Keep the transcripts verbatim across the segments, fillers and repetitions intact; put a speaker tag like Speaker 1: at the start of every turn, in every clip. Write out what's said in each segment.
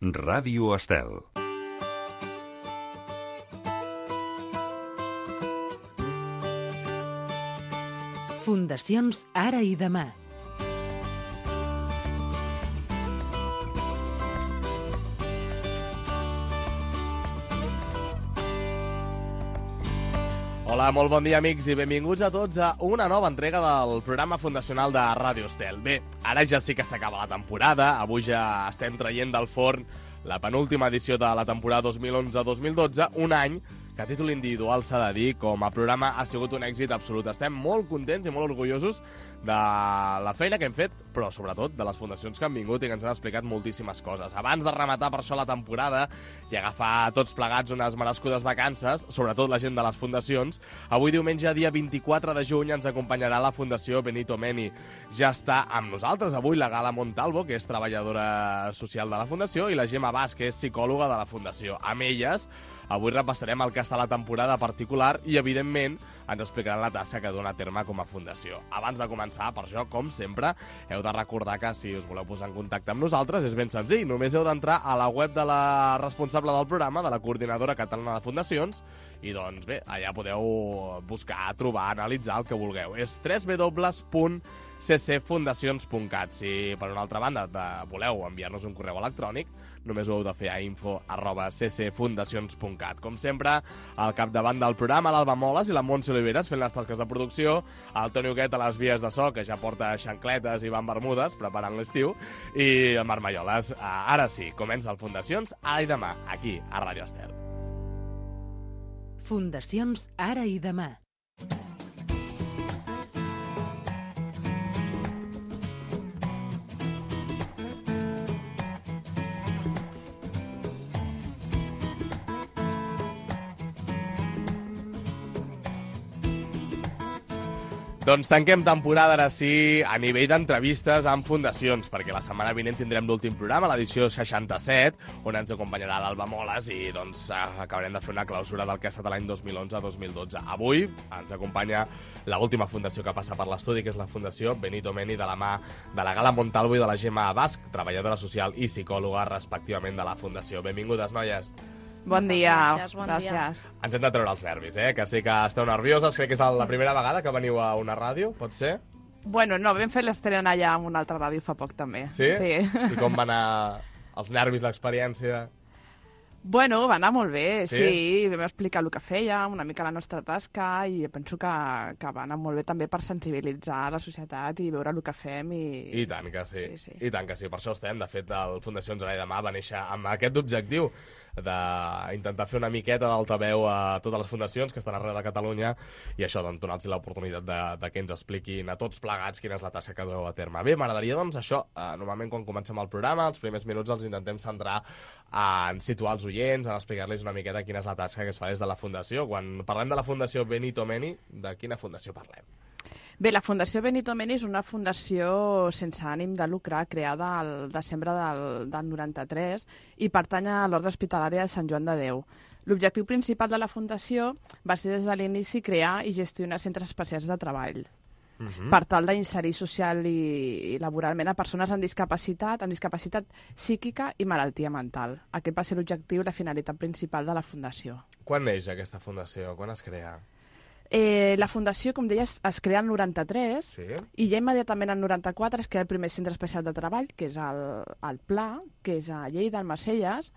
Speaker 1: Ràdio Estel.
Speaker 2: Fundacions Ara i Demà.
Speaker 3: Hola, molt bon dia, amics, i benvinguts a tots a una nova entrega del programa fundacional de Ràdio Estel. Bé, ara ja sí que s'acaba la temporada, avui ja estem traient del forn la penúltima edició de la temporada dos mil onze dos mil dotze, un any que a títol individual s'ha de dir, com a programa ha sigut un èxit absolut. Estem molt contents i molt orgullosos de la feina que hem fet, però sobretot de les fundacions que han vingut i que ens han explicat moltíssimes coses. Abans de rematar per això la temporada i agafar tots plegats unes merescudes vacances, sobretot la gent de les fundacions, avui diumenge, dia vint-i-quatre de juny, ens acompanyarà la Fundació Benito Meni. Ja està amb nosaltres avui la Gala Montalvo, que és treballadora social de la Fundació, i la Gemma Bas, que és psicòloga de la Fundació. Amb elles avui repassarem el que està a la temporada particular i, evidentment, ens explicaran la tasca que dona a terme com a fundació. Abans de començar, per això, com sempre, heu de recordar que si us voleu posar en contacte amb nosaltres és ben senzill. Només heu d'entrar a la web de la responsable del programa, de la Coordinadora Catalana de Fundacions, i, doncs, bé, allà podeu buscar, trobar, analitzar el que vulgueu. És w w w punt c c fundacions punt cat. Si, per una altra banda, de, voleu enviar-nos un correu electrònic, només ho heu de fer a info arroba c c fundacions punt cat. Com sempre, al capdavant del programa, l'Alba Moles i la Montse Oliveres fent les tasques de producció, el Toni Huguet a les vies de so, que ja porta xancletes i va en bermudes, preparant l'estiu, i el Marc Malloles. Ara sí, comença el Fundacions Ara i Demà, aquí, a Ràdio Estel.
Speaker 2: Fundacions Ara i Demà.
Speaker 3: Doncs tanquem temporada, ara sí, a nivell d'entrevistes amb fundacions, perquè la setmana vinent tindrem l'últim programa, l'edició seixanta-set, on ens acompanyarà l'Alba Moles i doncs acabarem de fer una clausura del que ha estat l'any dos mil onze dos mil dotze. Avui ens acompanya l'última fundació que passa per l'estudi, que és la Fundació Benito Meni, de la mà de la Gala Montalvo i de la Gemma Bas, treballadora social i psicòloga, respectivament, de la Fundació. Benvingudes, noies.
Speaker 4: Bon dia.
Speaker 5: Gràcies, bon
Speaker 4: Gràcies.
Speaker 5: dia.
Speaker 3: Ens hem de treure els nervis, eh? Que sé que esteu nervioses. Crec que és la primera vegada que veniu a una ràdio, pot ser?
Speaker 4: Bueno, no, vam fer l'estrena allà en una altra ràdio fa poc, també.
Speaker 3: Sí?
Speaker 4: Sí.
Speaker 3: I com va anar els nervis, l'experiència?
Speaker 4: Bueno, va anar molt bé,
Speaker 3: Sí?
Speaker 4: sí. Vam explicar el que fèiem, una mica la nostra tasca, i penso que, que va anar molt bé també per sensibilitzar la societat i veure el que fem. I,
Speaker 3: I tant que sí.
Speaker 4: Sí, sí.
Speaker 3: I tant que sí. Per això estem. De fet, el Fundacions Ara i Demà va néixer amb aquest objectiu d'intentar fer una miqueta d'altaveu a totes les fundacions que estan arreu de Catalunya i això, doncs, donar-los l'oportunitat de, de que ens expliquin a tots plegats quina és la tasca que dueu a terme. Bé, m'agradaria, doncs, això, eh, normalment quan comencem el programa, els primers minuts els intentem centrar en situar els oients, en explicar-los una miqueta quina és la tasca que es fa des de la Fundació. Quan parlem de la Fundació Benito Meni, de quina fundació parlem?
Speaker 4: Bé, la Fundació Benito Meni és una fundació sense ànim de lucre creada al desembre del, del noranta-tres i pertany a l'Orde Hospitalària de Sant Joan de Déu. L'objectiu principal de la fundació va ser des de l'inici crear i gestionar centres especials de treball
Speaker 3: Uh-huh.
Speaker 4: per tal d'inserir social i, i laboralment a persones amb discapacitat, amb discapacitat psíquica i malaltia mental. Aquest va ser l'objectiu i la finalitat principal de la fundació.
Speaker 3: Quan neix aquesta fundació? Quan es crea?
Speaker 4: Eh, la fundació, com deies, es crea el noranta-tres
Speaker 3: Sí?
Speaker 4: i ja immediatament el noranta-quatre es crea el primer centre especial de treball, que és el, el Pla, que és a Lleida, al Marcelles,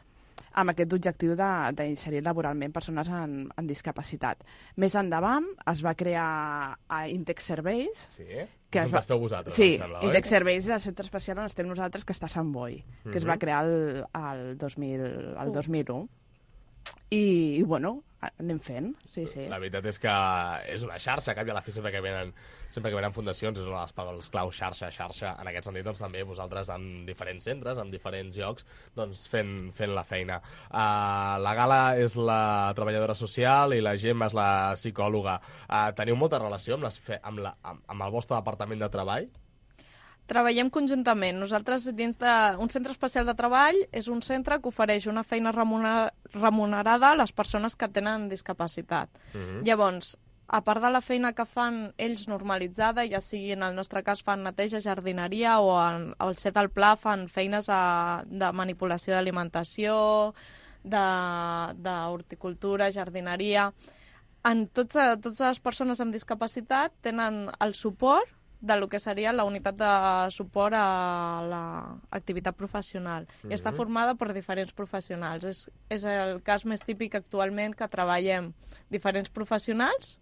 Speaker 4: amb aquest objectiu de- d'inserir laboralment persones amb, amb discapacitat. Més endavant es va crear a Intex Serveis,
Speaker 3: Sí?
Speaker 4: que
Speaker 3: Us
Speaker 4: es
Speaker 3: en
Speaker 4: va...
Speaker 3: vasteu vosaltres,
Speaker 4: sí,
Speaker 3: em sembla,
Speaker 4: Intex
Speaker 3: oi?
Speaker 4: Serveis és el centre especial on estem nosaltres, que està a Sant Boi, que es va
Speaker 3: Mhm.
Speaker 4: crear el, el, dos mil, el dos mil u. I, i bueno, anem fent, sí, sí.
Speaker 3: La veritat és que és una xarxa, que a la fi sempre que venen, sempre que venen fundacions és una de les paraules clau, xarxa, xarxa. En aquest sentit, doncs, també vosaltres en diferents centres, en diferents llocs, doncs, fent, fent la feina. Uh, la Gala és la treballadora social i la Gemma és la psicòloga. Uh, teniu molta relació amb, les fe amb, la, amb, amb el vostre departament de treball?
Speaker 5: Treballem conjuntament. Nosaltres, dins d'un centre especial de treball, és un centre que ofereix una feina remuner- remunerada a les persones que tenen discapacitat.
Speaker 3: Uh-huh.
Speaker 5: Llavors, a part de la feina que fan ells normalitzada, ja sigui en el nostre cas fan neteja, jardineria o en, al set al pla fan feines a, de manipulació d'alimentació, d'horticultura, jardineria. En tots, totes les persones amb discapacitat tenen el suport de lo que seria la unitat de suport a l'activitat professional. Mm-hmm. I està formada per diferents professionals. És, és el cas més típic actualment que treballem diferents professionals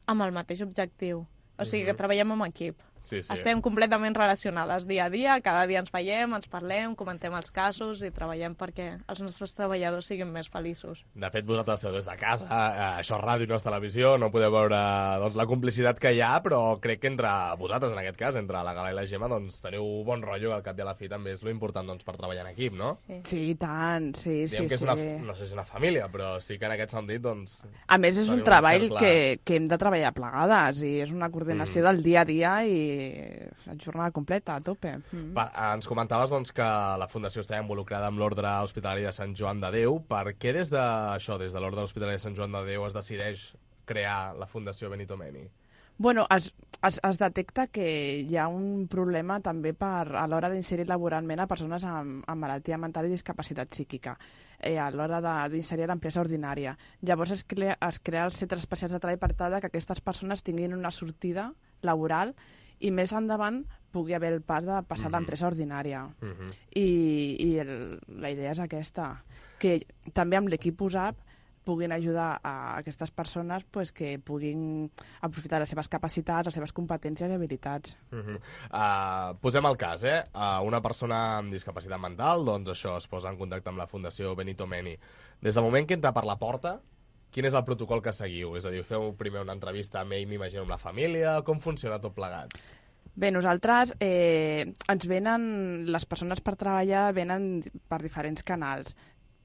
Speaker 5: amb el mateix objectiu. O sigui, mm-hmm. que treballem en equip.
Speaker 3: Sí, sí.
Speaker 5: Estem completament relacionades dia a dia, cada dia ens veiem, ens parlem, comentem els casos i treballem perquè els nostres treballadors siguin més feliços.
Speaker 3: De fet, vosaltres esteu des de casa, eh, això és ràdio, no és televisió, no podeu veure doncs, la complicitat que hi ha, però crec que entre vosaltres, en aquest cas, entre la Gala i la Gemma, doncs, teniu bon rotllo, al cap i a la fi també és lo important doncs, per treballar en equip, no?
Speaker 4: Sí, sí tant, sí,
Speaker 3: Diem
Speaker 4: sí,
Speaker 3: que és
Speaker 4: sí.
Speaker 3: una, no sé si és una família, però sí que en aquest sentit, doncs...
Speaker 4: A més, és un treball que, que hem de treballar plegades i és una coordinació mm. del dia a dia i jornada completa, a tope. Mm.
Speaker 3: Va, ens comentaves doncs, que la Fundació està involucrada amb l'Ordre Hospitalari de Sant Joan de Déu. Per què des de això, des de l'Ordre Hospitalari de Sant Joan de Déu, es decideix crear la Fundació Benito Meni?
Speaker 4: Bueno, es, es, es detecta que hi ha un problema també per, a l'hora d'inserir laboralment a persones amb, amb malaltia mental i discapacitat psíquica, eh, a l'hora d'inserir a l'empresa ordinària. Llavors es crea, es crea els centres especials de treball per tal que aquestes persones tinguin una sortida laboral i més endavant pugui haver el pas de passar mm-hmm. a l'empresa ordinària. Mm-hmm. I i el, la idea és aquesta, que també amb l'equip U S A P puguin ajudar a aquestes persones pues, que puguin aprofitar les seves capacitats, les seves competències i habilitats.
Speaker 3: Mm-hmm. uh, posem el cas, eh? Uh, una persona amb discapacitat mental, doncs això, es posa en contacte amb la Fundació Benito Meni. Des del moment que entra per la porta, quin és el protocol que seguiu? És a dir, feu primer una entrevista amb ell, m'imagino, amb la família? Com funciona tot plegat?
Speaker 4: Bé, nosaltres eh, ens venen, les persones per treballar venen per diferents canals.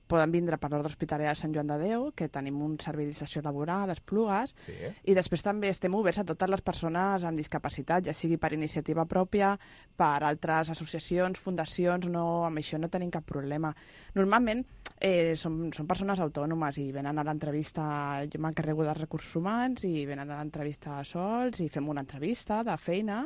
Speaker 4: Poden vindre per l'Ordre Hospitalari de Sant Joan de Déu, que tenim un servei d'inserció laboral, les Plugues, sí. I després també estem oberts a totes les persones amb discapacitat, ja sigui per iniciativa pròpia, per altres associacions, fundacions, no, amb això no tenim cap problema. Normalment eh, són, són persones autònomes i venen a l'entrevista, jo m'encarrego dels recursos humans i venen a l'entrevista sols i fem una entrevista de feina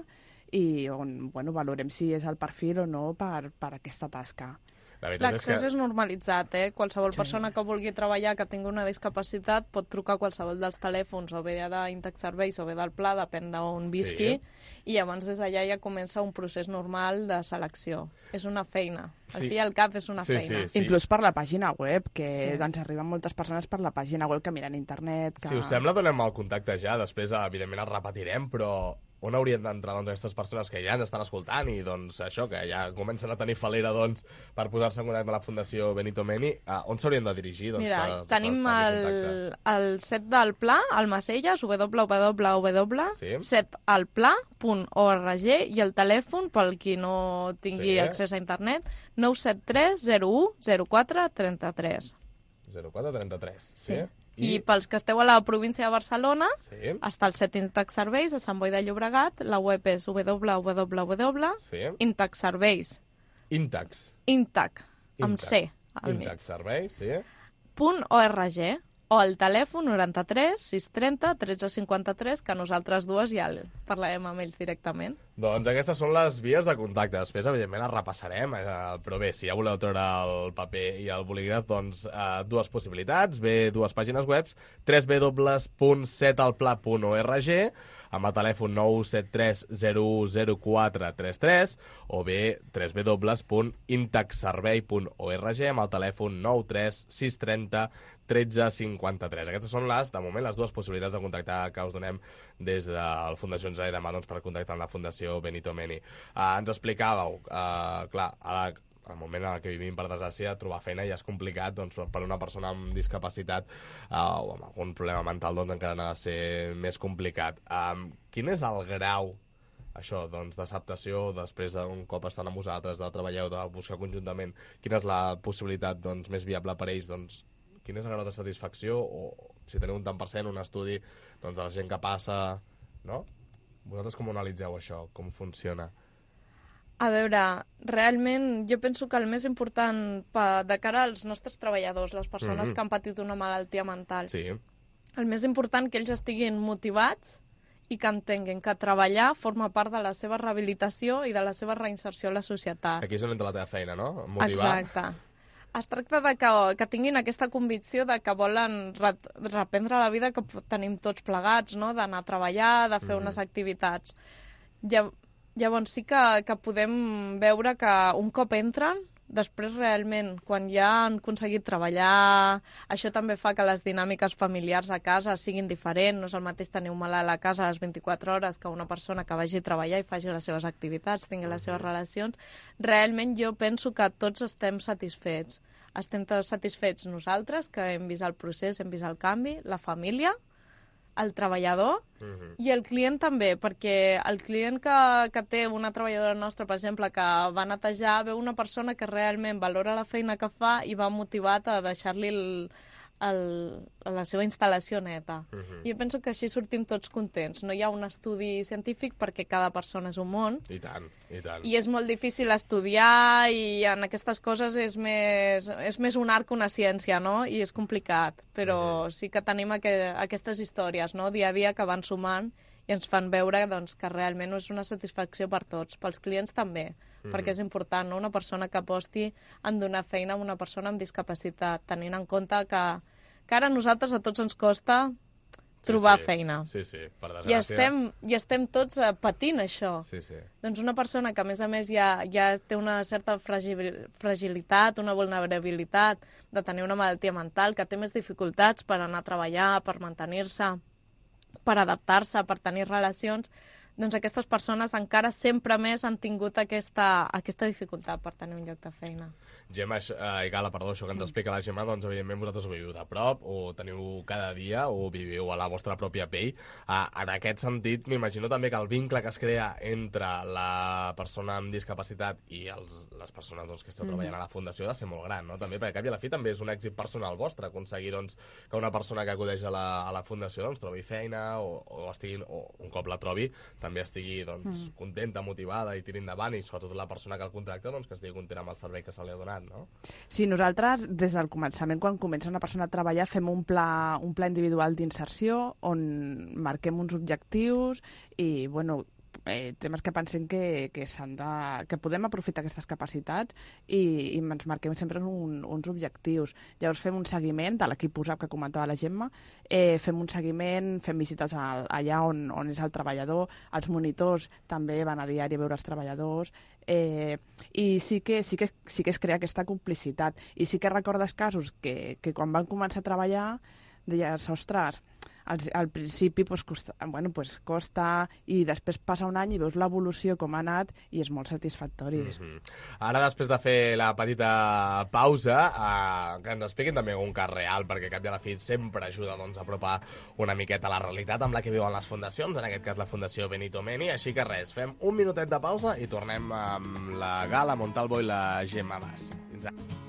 Speaker 4: i on bueno, valorem si és el perfil o no per, per aquesta tasca.
Speaker 5: L'accés és, que... és normalitzat, eh? Qualsevol sí. persona que vulgui treballar, que tingui una discapacitat, pot trucar a qualsevol dels telèfons, o bé d'Íntex Serveis o bé del Pla, depèn d'on visqui, sí. I llavors des d'allà ja comença un procés normal de selecció. És una feina. Al sí. fi i al cap és una
Speaker 3: sí,
Speaker 5: feina.
Speaker 3: Sí, sí.
Speaker 4: Inclús per la pàgina web, que sí. ens arriben moltes persones per la pàgina web que miren internet. Que...
Speaker 3: Si us sembla, donem el contacte ja, després evidentment el repetirem, però... on haurien d'entrar doncs, aquestes persones que ja ens estan escoltant i doncs, això, que ja comencen a tenir falera doncs, per posar-se en contacte amb la Fundació Benito Meni, uh, on s'haurien de dirigir? Doncs,
Speaker 5: Mira,
Speaker 3: per,
Speaker 5: tenim
Speaker 3: per, per
Speaker 5: el, el set del Pla, al Macelles, w w w
Speaker 3: sí.
Speaker 5: punt set al pla punt org i el telèfon, pel qui no tingui sí. accés a internet, nou set tres zero u zero quatre trenta-tres.
Speaker 3: zero quatre trenta-tres, sí. sí.
Speaker 5: I... I pels que esteu a la província de Barcelona, sí. està el set Íntex Serveis a Sant Boi de Llobregat, la web és w w w punt
Speaker 3: sí.
Speaker 5: Íntex Serveis.
Speaker 3: Íntex.
Speaker 5: Íntex, amb C al mig.
Speaker 3: Íntex Serveis, sí.
Speaker 5: Punt org. O el telèfon noranta-tres sis trenta tretze cinquanta-tres, que nosaltres dues ja parlarem amb ells directament.
Speaker 3: Doncs aquestes són les vies de contacte. Després, evidentment, les repassarem, eh, però bé, si ja voleu treure el paper i el bolígraf, doncs eh, dues possibilitats. Bé, dues pàgines web, w w w punt set al pla punt org, amb el telèfon nou set tres zero u zero quatre tres tres, o bé w w w punt intexservei punt org amb el telèfon nou tres sis trenta tretze cinquanta-tres. Aquestes són les, de moment, les dues possibilitats de contactar que us donem des de la Fundació Ara i Demà doncs, per contactar amb la Fundació Benito Meni. Uh, ens explicàveu, uh, clar, ara al moment en què vivim, per desgràcia, trobar feina ja és complicat, doncs, per una persona amb discapacitat uh, o amb algun problema mental, doncs encara ha de ser més complicat. Um, quin és el grau, això, doncs, d'acceptació després d'un cop estan amb vosaltres, de treballar o de buscar conjuntament? Quina és la possibilitat, doncs, més viable per ells, doncs, quin és el grau de satisfacció, o si teniu un tant per cent, un estudi, doncs, de la gent que passa, no? Vosaltres com ho analitzeu, això? Com funciona?
Speaker 5: A veure, realment jo penso que el més important pa, de cara als nostres treballadors, les persones mm-hmm. que han patit una malaltia mental,
Speaker 3: sí.
Speaker 5: el més important que ells estiguin motivats i que entenguin que treballar forma part de la seva rehabilitació i de la seva reinserció a la societat.
Speaker 3: Aquí és on entra la teva feina, no? Motivar.
Speaker 5: Exacte. Es tracta de que, que tinguin aquesta convicció de que volen re reprendre la vida que tenim tots plegats, no? D'anar a treballar, de fer mm-hmm. unes activitats. Llavors sí que, que podem veure que un cop entren, després realment, quan ja han aconseguit treballar, això també fa que les dinàmiques familiars a casa siguin diferents. No és el mateix tenir un malalt a casa a les vint-i-quatre hores que una persona que vagi a treballar i faci les seves activitats, tingui les seves relacions. Realment jo penso que tots estem satisfets. Estem satisfets nosaltres, que hem vist el procés, hem vist el canvi, la família, el treballador uh-huh. i el client també, perquè el client que, que té una treballadora nostra, per exemple, que va netejar, veu una persona que realment valora la feina que fa i va motivat a deixar-li el, el, la seva instal·lació neta. Uh-huh. I jo penso que així sortim tots contents. No hi ha un estudi científic perquè cada persona és un món.
Speaker 3: I tant, i tant.
Speaker 5: I és molt difícil estudiar i en aquestes coses és més, és més un art que una ciència, no? I és complicat, però uh-huh. sí que tenim aqu aquestes històries, no? Dia a dia que van sumant i ens fan veure doncs, que realment és una satisfacció per tots, pels clients també, uh-huh. perquè és important, no? Una persona que aposti en donar feina a una persona amb discapacitat, tenint en compte que, que ara a nosaltres a tots ens costa trobar
Speaker 3: sí, sí.
Speaker 5: feina.
Speaker 3: Sí, sí, per desgràcia.
Speaker 5: I estem, i estem tots uh, patint això.
Speaker 3: Sí, sí.
Speaker 5: Doncs una persona que, a més a més, ja, ja té una certa fragilitat, una vulnerabilitat de tenir una malaltia mental, que té més dificultats per anar a treballar, per mantenir-se, per adaptar-se, per tenir relacions, doncs aquestes persones encara sempre més han tingut aquesta, aquesta dificultat per tenir un lloc de feina.
Speaker 3: Gemma, eh, i Gala, perdó, això que ens explica la Gemma, doncs evidentment vosaltres ho viviu de prop, o teniu cada dia, o viviu a la vostra pròpia pell. Eh, en aquest sentit, m'imagino també que el vincle que es crea entre la persona amb discapacitat i els, les persones doncs, que esteu treballant a la Fundació ha de ser molt gran, no? També, perquè al cap i a la fi també és un èxit personal vostre, aconseguir doncs, que una persona que acudeix a la, a la Fundació doncs, trobi feina, o, o, estigui, o un cop la trobi, també estigui doncs, mm. contenta, motivada i tiri endavant, i sobretot la persona que el contracta doncs, que estigui contenta amb el servei que se li ha donat, no?
Speaker 4: Sí, nosaltres des del començament, quan comença una persona a treballar, fem un pla, un pla individual d'inserció on marquem uns objectius i, bueno, eh, temes que pensem que, que, de, que podem aprofitar aquestes capacitats i, i ens marquem sempre un, uns objectius. Llavors fem un seguiment de l'equip U S A P que comentava la Gemma, eh, fem un seguiment, fem visites al, allà on, on és el treballador, els monitors també van a diari a veure els treballadors, eh, i sí que, sí, que, sí que es crea aquesta complicitat. I sí que recordes casos que, que quan van començar a treballar deies, ostres, al, al principi pues, costa, bueno, pues, costa i després passa un any i veus l'evolució com ha anat i és molt satisfactori.
Speaker 3: Mm-hmm. Ara, després de fer la petita pausa, eh, que ens expliquin també un cas real, perquè cap i a la fi sempre ajuda doncs, a apropar una miqueta la realitat amb la que viuen les fundacions, en aquest cas la Fundació Benito Meni. Així que res, fem un minutet de pausa i tornem amb la Gala Montalvo i la Gemma Bas. Fins ara.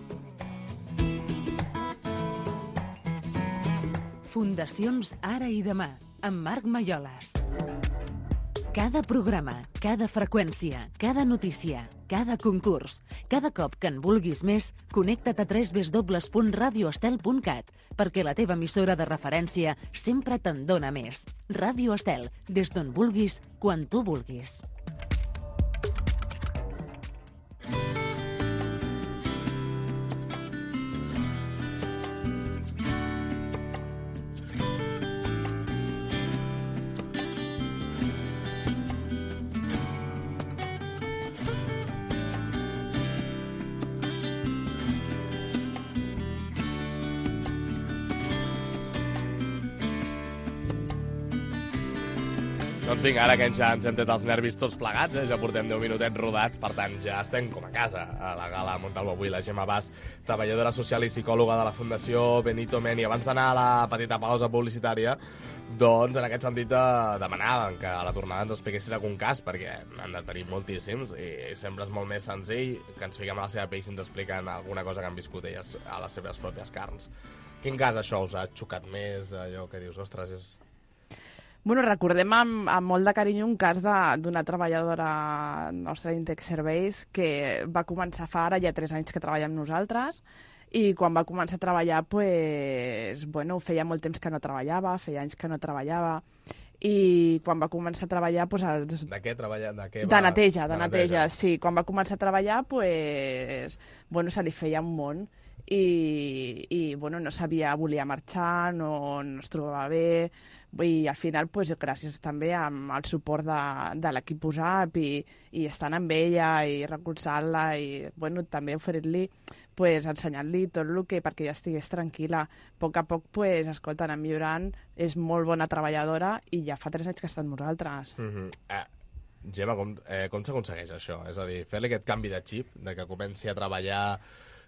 Speaker 2: Fundacions Ara i Demà, amb Marc Malloles. Cada programa, cada freqüència, cada notícia, cada concurs, cada cop que en vulguis més, connecta't a w w w punt radio estel punt cat, perquè la teva emissora de referència sempre te'n dona més. Ràdio Estel, des d'on vulguis, quan tu vulguis.
Speaker 3: Doncs vinga, ara que ja ens hem tret els nervis tots plegats, eh? Ja portem deu minutets rodats, per tant ja estem com a casa. A la Gala Montalvo avui, la Gemma Bas, treballadora social i psicòloga de la Fundació Benito Meni. Abans d'anar a la petita pausa publicitària, doncs en aquest sentit demanàvem que a la tornada ens expliquessin algun cas, perquè han de tenir moltíssims i sempre és molt més senzill que ens fiquem a la seva pell si ens expliquen alguna cosa que han viscut elles a les seves pròpies carns. Quin cas això us ha xocat més, allò que dius, ostres, és...
Speaker 4: Bueno, recordem amb, amb molt de carinyo un cas d'una treballadora nostra d'Intex Serveis que va començar fa ara ja tres anys que treballa amb nosaltres i quan va començar a treballar, pues, bueno, feia molt temps que no treballava, feia anys que no treballava, i quan va començar a treballar... Pues, els...
Speaker 3: De què treballa? De, què
Speaker 4: de
Speaker 3: va...
Speaker 4: neteja, de, de neteja,
Speaker 3: neteja,
Speaker 4: sí. Quan va començar a treballar, pues, bueno, se li feia un món i, i bueno, no sabia, volia marxar, no, no es trobava bé, i al final, pues, gràcies també al suport de, de l'equip U S A P i, i estant amb ella i recolzant-la i bueno, també oferint-li, pues, ensenyant-li tot el que perquè ja estigués tranquil·la. A poc a poc, pues, escolta, anar millorant, és molt bona treballadora i ja fa tres anys que està amb nosaltres.
Speaker 3: Mm-hmm. eh, Gemma, com, eh, com s'aconsegueix això? És a dir, fer-li aquest canvi de xip, de que comenci a treballar,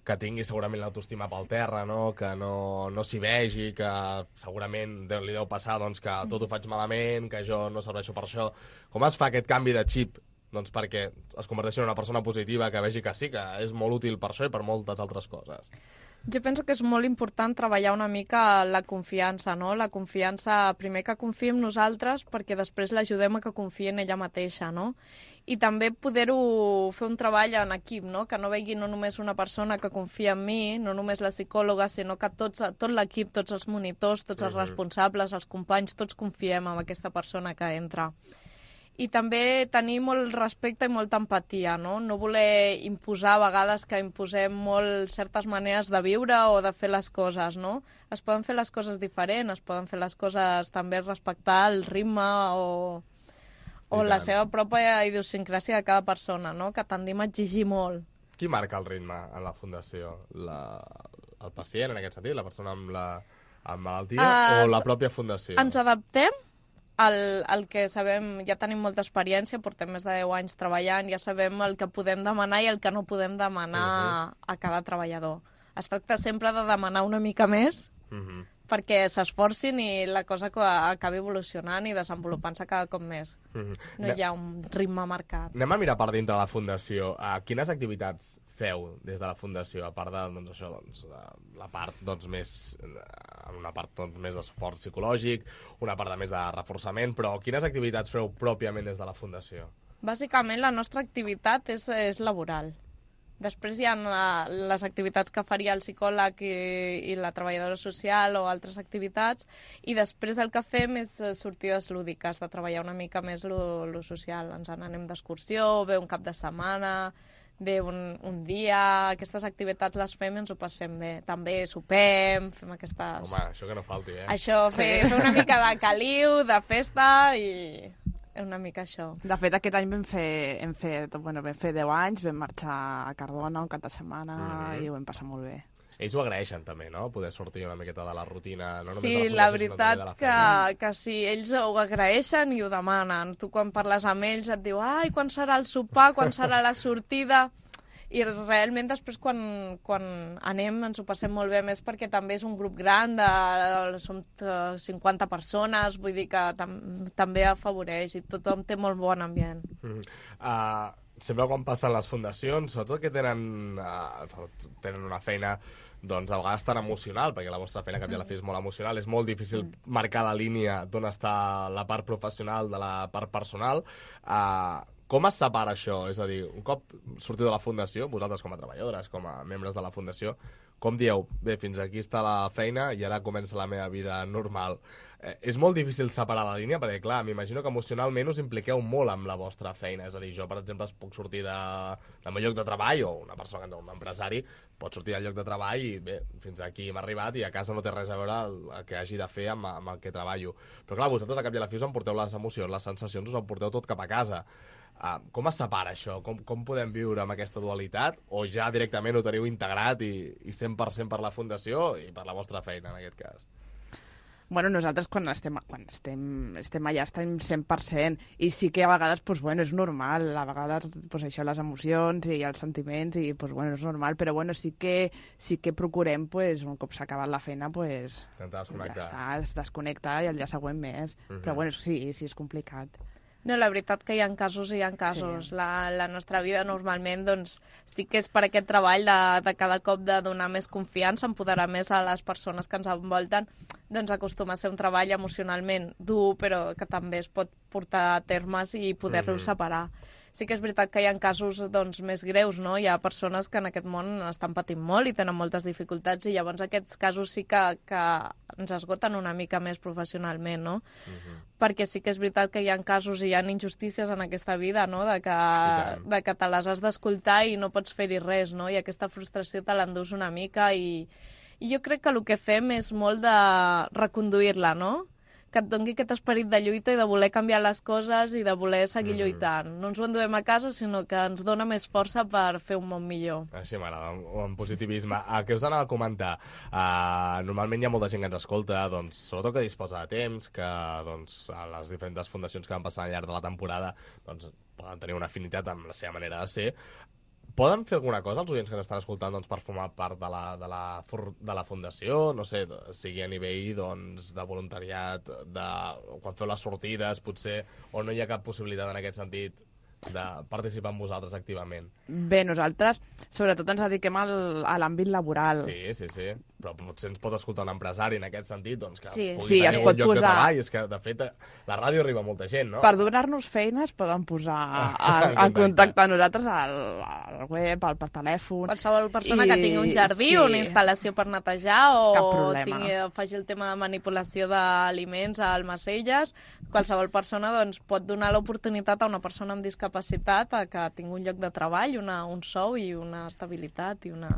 Speaker 3: que tingui segurament l'autoestima pel terra, no? Que no, no s'hi vegi, que segurament deu, li deu passar doncs, que tot ho faig malament, que jo no serveixo per això. Com es fa aquest canvi de xip doncs, perquè es converteixi en una persona positiva, que vegi que sí, que és molt útil per això i per moltes altres coses?
Speaker 5: Jo penso que és molt important treballar una mica la confiança, no? La confiança, primer que confiï en nosaltres, perquè després l'ajudem a que confiï en ella mateixa, no? I també poder-ho fer un treball en equip, no? Que no vegi no només una persona que confia en mi, no només la psicòloga, sinó que tots, tot l'equip, tots els monitors, tots els responsables, els companys, tots confiem en aquesta persona que entra. I també tenir molt respecte i molta empatia, no? No voler imposar a vegades que imposem molt certes maneres de viure o de fer les coses, no? Es poden fer les coses diferents, es poden fer les coses també respectar el ritme o, o la seva pròpia idiosincràsia de cada persona, no? Que tendim a exigir molt.
Speaker 3: Qui marca el ritme en la fundació? La, el pacient, en aquest sentit, la persona amb, la, amb malaltia uh, o la pròpia fundació?
Speaker 5: Ens adaptem. El, el que sabem, ja tenim molta experiència, portem més de deu anys treballant, ja sabem el que podem demanar i el que no podem demanar uh-huh. a cada treballador. Es tracta sempre de demanar una mica més uh-huh. perquè s'esforcin i la cosa acabi evolucionant i desenvolupant-se cada cop més. Uh-huh. No hi ha un ritme marcat.
Speaker 3: Anem a mirar per dintre de la fundació. Uh, quines activitats feu des de la fundació, a part de, doncs, això, doncs, de la part doncs, més, una part doncs, més de suport psicològic, una part de més de reforçament, però quines activitats feu pròpiament des de la fundació?
Speaker 5: Bàsicament la nostra activitat és, és laboral. Després hi ha la, les activitats que faria el psicòleg i, i la treballadora social o altres activitats, i després el que fem és sortides lúdiques, de treballar una mica més lo, lo social. Ens en anem d'excursió, ve un cap de setmana, ve un, un dia, aquestes activitats les fem i ens ho passem bé. També sopem, fem aquestes...
Speaker 3: Home, això que no falti, eh?
Speaker 5: Això, fer, fer una mica de caliu, de festa i... una mica això.
Speaker 4: De fet, aquest any vam fer, hem fet, bueno, vam fer deu anys, vam marxar a Cardona un cap de setmana mm-hmm. i ho vam passar molt bé.
Speaker 3: Ells ho agraeixen també, no? Poder sortir una miqueta de la rutina, no només
Speaker 5: sí,
Speaker 3: de la fundació,
Speaker 5: la veritat
Speaker 3: sinó també de la
Speaker 5: que, que sí, ells ho agraeixen i ho demanen. Tu quan parles amb ells et diu, ai, quan serà el sopar, quan serà la sortida... I realment després quan, quan anem ens ho passem molt bé, més perquè també és un grup gran, de, som cinquanta persones, vull dir que tam, també afavoreix i tothom té molt bon ambient. Mm-hmm.
Speaker 3: Uh, sempre quan passen les fundacions, sobretot que tenen, uh, tenen una feina doncs a vegades tan emocional, perquè la vostra feina, cap i a la fi, és molt emocional, és molt difícil mm. marcar la línia d'on està la part professional de la part personal. Uh, Com es separa això? És a dir, un cop sortiu de la fundació, vosaltres com a treballadores, com a membres de la fundació, com dieu, bé, fins aquí està la feina i ara comença la meva vida normal. Eh, és molt difícil separar la línia, perquè, clar, m'imagino que emocionalment us impliqueu molt amb la vostra feina. És a dir, jo, per exemple, puc sortir de, del meu lloc de treball, o una persona, un empresari, pot sortir del lloc de treball i, bé, fins aquí hem arribat i a casa no té res a veure el, el que hagi de fer amb, amb el que treballo. Però, clar, vosaltres, a cap i a la fi, us emporteu les emocions, les sensacions, us emporteu tot cap a casa. Uh, com es separa això? Com, com podem viure amb aquesta dualitat? O ja directament ho teniu integrat i, i cent per cent per la fundació i per la vostra feina, en aquest cas?
Speaker 4: Bueno, nosaltres quan estem, quan estem, estem allà estem cent per cent i sí que a vegades, pues, bueno, és normal, a vegades pues, això, les emocions i els sentiments i pues, bueno, és normal, però bueno, sí que, sí que procurem, pues, un cop s'ha acabat la feina, pues, ja està, es desconnecta i el dia següent més, uh-huh. Però bueno, sí, sí és complicat.
Speaker 5: No, la veritat que hi ha casos i hi ha casos. Sí. La, la nostra vida normalment doncs, sí que és per aquest treball de, de cada cop de donar més confiança, empoderar més a les persones que ens envolten, doncs acostuma a ser un treball emocionalment dur, però que també es pot portar a termes i poder-lo mm-hmm. separar. sí que és veritat que hi ha casos doncs, més greus, no? Hi ha persones que en aquest món estan patint molt i tenen moltes dificultats i llavors aquests casos sí que, que ens esgoten una mica més professionalment, no? Uh-huh. Perquè sí que és veritat que hi ha casos i hi ha injustícies en aquesta vida, no? De que, de que te les has d'escoltar i no pots fer-hi res, no? I aquesta frustració te l'endús una mica i, i jo crec que el que fem és molt de reconduir-la, no? Que et doni aquest esperit de lluita i de voler canviar les coses i de voler seguir mm. lluitant. No ens ho enduem a casa, sinó que ens dona més força per fer un món millor.
Speaker 3: Així m'agrada, en positivisme. Uh, què us anava a comentar? Uh, normalment hi ha molta gent que ens escolta, doncs, sobretot que disposa de temps, que doncs, a les diferents fundacions que van passar al llarg de la temporada doncs, poden tenir una afinitat amb la seva manera de ser. Poden fer alguna cosa els oients que ens estan escoltant doncs, per formar part de la, de, la, de la fundació? No sé, sigui a nivell doncs, de voluntariat, de, quan feu les sortides, potser, o no hi ha cap possibilitat en aquest sentit de participar amb vosaltres activament?
Speaker 4: Bé, nosaltres sobretot ens dediquem al, a l'àmbit laboral.
Speaker 3: Sí, sí, sí. Però potser ens pot escoltar un empresari en aquest sentit, doncs que
Speaker 5: sí.
Speaker 3: pugui
Speaker 4: sí,
Speaker 3: tenir
Speaker 4: es pot
Speaker 3: un lloc
Speaker 4: posar...
Speaker 3: de treball. És que, de fet, la ràdio arriba a molta gent, no?
Speaker 4: Per donar-nos feina es poden posar a, a contactar amb nosaltres al, al web, al, per telèfon...
Speaker 5: Qualsevol persona I... que tingui un jardí
Speaker 4: sí.
Speaker 5: o una instal·lació per netejar o tingui, faci el tema de manipulació d'aliments a almacelles, qualsevol persona doncs, pot donar l'oportunitat a una persona amb discapacitat a que tingui un lloc de treball, una, un sou i una estabilitat i una...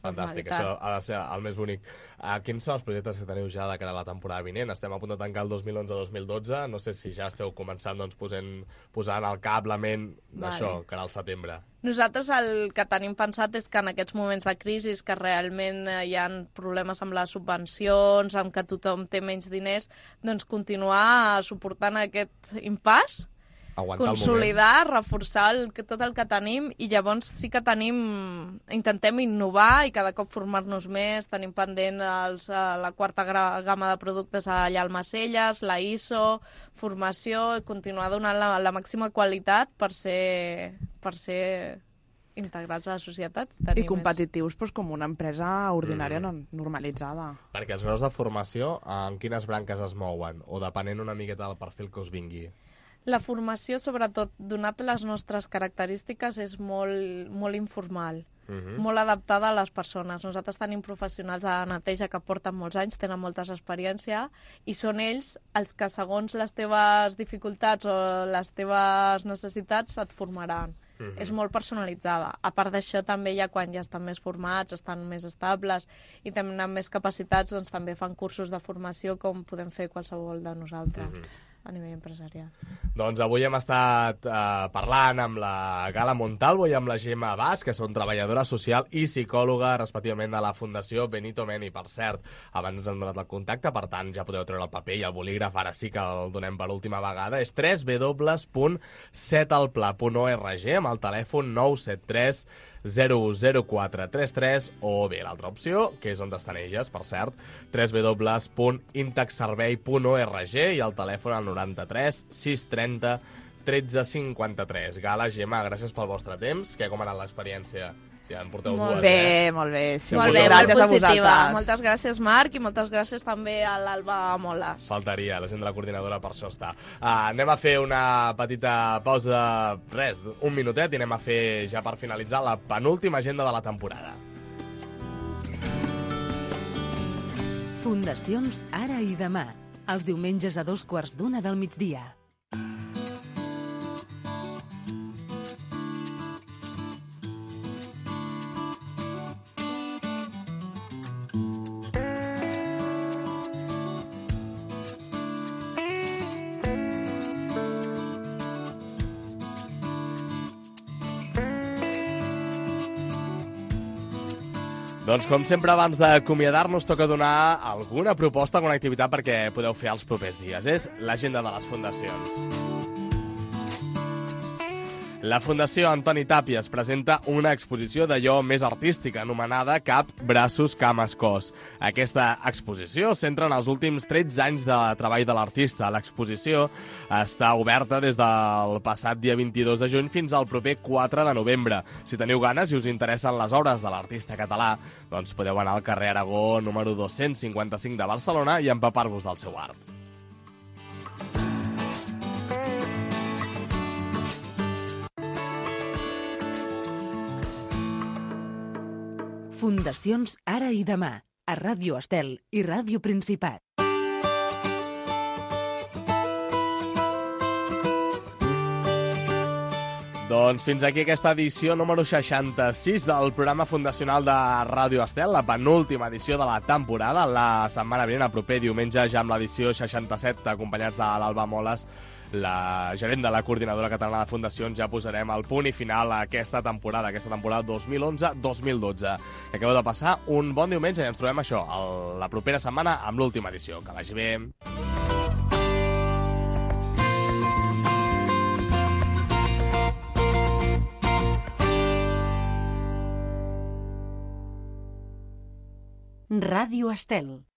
Speaker 3: Fantàstic, això ha de ser el més bonic. Uh, quins són els projectes que teniu ja de cara a la temporada vinent? Estem a punt de tancar el dos mil onze dos mil dotze, no sé si ja esteu començant doncs, posant, posant al cap, la ment d'això, vale. cara al setembre.
Speaker 5: Nosaltres el que tenim pensat és que en aquests moments de crisi, que realment hi ha problemes amb les subvencions, amb que tothom té menys diners, doncs continuar suportant aquest impàs,
Speaker 3: aguantar
Speaker 5: consolidar, reforçar el, tot el que tenim i llavors sí que tenim, intentem innovar i cada cop formar-nos més, tenim pendent els, la quarta gamma de productes allà al Almacelles, la I S O, formació, continuar donant la, la màxima qualitat per ser, per ser integrats a la societat.
Speaker 4: I competitius doncs, com una empresa ordinària mm. normalitzada.
Speaker 3: Perquè els graus de formació, en quines branques es mouen? O depenent una miqueta del perfil que us vingui?
Speaker 5: La formació, sobretot, donat les nostres característiques, és molt, molt informal, uh-huh. molt adaptada a les persones. Nosaltres tenim professionals de neteja que porten molts anys, tenen moltes experiència, i són ells els que, segons les teves dificultats o les teves necessitats, et formaran. Uh-huh. És molt personalitzada. A part d'això, també ja quan ja estan més formats, estan més estables i tenen més capacitats, doncs també fan cursos de formació com podem fer qualsevol de nosaltres. Uh-huh. A nivell empresarial.
Speaker 3: Doncs avui hem estat eh, parlant amb la Gala Montalvo i amb la Gemma Bas, que són treballadora social i psicòloga, respectivament, de la Fundació Benito Meni. Per cert, abans ens han donat el contacte, per tant, ja podeu treure el paper i el bolígraf, ara sí que el donem per última vegada. És w w w punt setalpla punt org amb el telèfon nou set tres zero zero quatre tres tres o bé l'altra opció, que és on estan elles, per cert, w w w punt intexservei punt org i el telèfon al noranta-tres sis trenta tretze cinquanta-tres. Gala, Gemma, gràcies pel vostre temps. Què, com ha anat l'experiència? Ja en porteu
Speaker 4: molt
Speaker 3: dues,
Speaker 4: bé,
Speaker 3: eh?
Speaker 4: molt bé. Sí,
Speaker 5: molt bé,
Speaker 4: gràcies
Speaker 5: molt
Speaker 4: a
Speaker 5: positiva.
Speaker 4: vosaltres.
Speaker 5: Moltes gràcies, Marc, i moltes gràcies també a l'Alba Moles.
Speaker 3: Faltaria, la gent de la coordinadora per això està. Uh, anem a fer una petita pausa, res, un minutet, i anem a fer, ja per finalitzar, la penúltima agenda de la temporada.
Speaker 2: Fundacions Ara i Demà, els diumenges a dos quarts d'una del migdia.
Speaker 3: Doncs com sempre, abans d'acomiadar-nos, toca donar alguna proposta, alguna activitat perquè podeu fer els propers dies. És l'agenda de les fundacions. La Fundació Antoni Tàpies presenta una exposició d'allò més artística anomenada Cap, Braços, Cames, Cos. Aquesta exposició centra en els últims tretze anys de treball de l'artista. L'exposició està oberta des del passat dia vint-i-dos de juny fins al proper quatre de novembre. Si teniu ganes i us interessen les obres de l'artista català, doncs podeu anar al carrer Aragó número dos-cents cinquanta-cinc de Barcelona i empapar-vos del seu art.
Speaker 2: Fundacions Ara i Demà, a Ràdio Estel i Ràdio Principat.
Speaker 3: Doncs fins aquí aquesta edició número seixanta-sis del programa fundacional de Ràdio Estel, la penúltima edició de la temporada. La setmana vinent, el proper diumenge, ja amb l'edició seixanta-set, acompanyats de l'Alba Moles, la gerent de la Coordinadora Catalana de Fundacions, ja posarem el punt i final a aquesta temporada, aquesta temporada dos mil onze dos mil dotze. Que acabeu de passar un bon diumenge i ens trobem això, el, la propera setmana amb l'última edició. Que vagi bé.
Speaker 1: Ràdio Estel.